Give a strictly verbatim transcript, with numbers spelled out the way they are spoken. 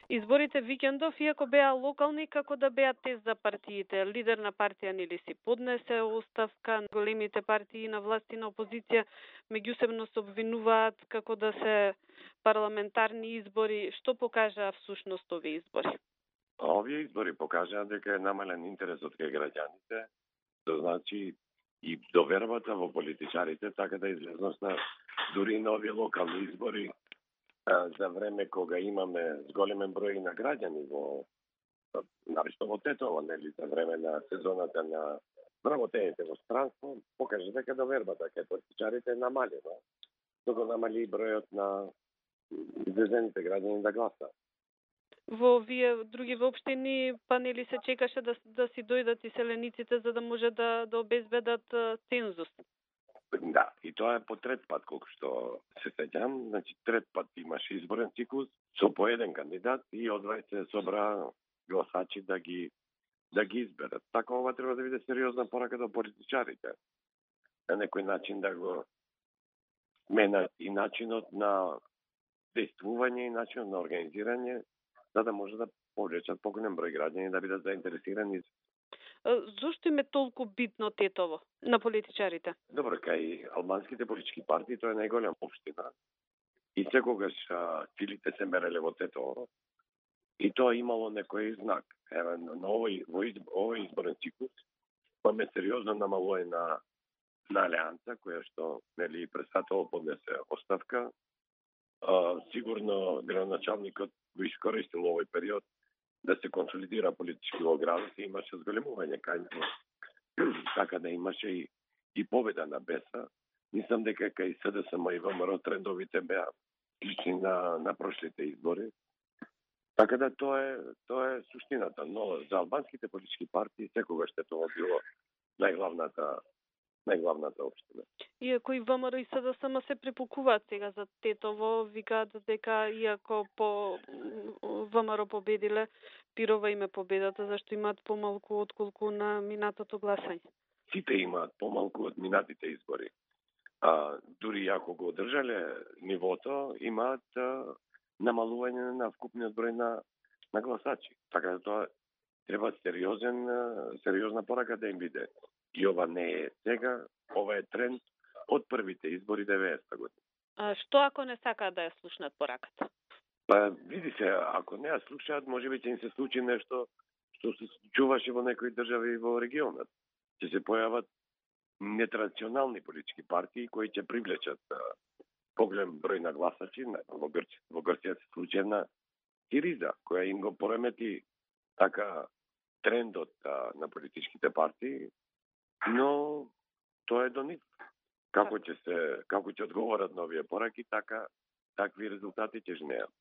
Изборите викендов, иако беа локални, како да беа тест за партиите. Лидер на партија нели си поднесе оставка, големите партии на власт и на опозиција меѓусебно се обвинуваат како да се парламентарни избори. Што покажаа всушност овие избори? Овие избори покажаа дека е намален интересот кај граѓаните, тоа значи и довербата во политичарите, така да излезнат на дури на овие локални избори за време кога имаме зголемен број на граѓани во нависто во Тетово, нели, за време на сезоната на вработените во странство, покажа дека довербата кај политичарите е намалена. Тоа намали и бројот на излезените граѓани да гласат. Во овие други општини, па нели се чекаше да, да си дојдат и селениците за да може да, да обезбедат цензус. Да, и тоа е по трет пат, колку што се сеќам. Значи, трет пат имаше изборен циклус со по еден кандидат и одвај се собра гласачи да ги да ги изберат. Така ова треба да биде сериозна порака до политичарите. На некој начин да го менат и начинот на действување и начинот на организирање, за да може да повлечат поголем број граѓани да бидат заинтересирани. Зошто им е толку битно Тетово на политичарите? Добро, кај албанските политички партии тоа е најголема општина. И секогаш силите се мереле во Тетово. И тоа имало некој знак. Еве, на овој, овој изборен циклус имаме сериозно намалување на, на алијанса, која што нели председател поднесе оставка. А, сигурно градоначалникот го искористил овој период да се консолидира политички во градот и имаше зголемување кај него. Така да имаше и, и победа на Беса. Мислам дека кај СДСМ и ВМРО трендовите беа слични на, на прошлите избори. Така да тоа е, тоа е суштината. Но за албанските политички партии секогаш тоа било најглавната најглавната општина. Иако и ВМРО и СДСМ се препукуваат сега за Тетово, викаат дека иако по ВМРО победиле, пирова име победата, зашто имаат помалку отколку на минатото гласање. Сите имаат помалку од минатите избори. А, дури ако го одржале нивото, имаат а, намалување на вкупниот број на, на гласачи. Така да тоа треба сериозен, сериозна порака да им биде. И ова не е сега, ова е тренд од првите избори деветдесета година. А што ако не сакаат да ја слушнат пораката? Па, види се, ако не ја слушаат, може би ќе им се случи нешто што се случуваше во некои држави во регионот. Ќе се појават нетрадиционални политички партии кои ќе привлечат поголем број на гласачи. Во Грција, во Грција се случи една Сириза, која им го поремети така трендот а, на политичките партии, но тоа е до нив. Како ќе се, како ќе одговорат на овие пораки, така такви резултати ќе жнеат.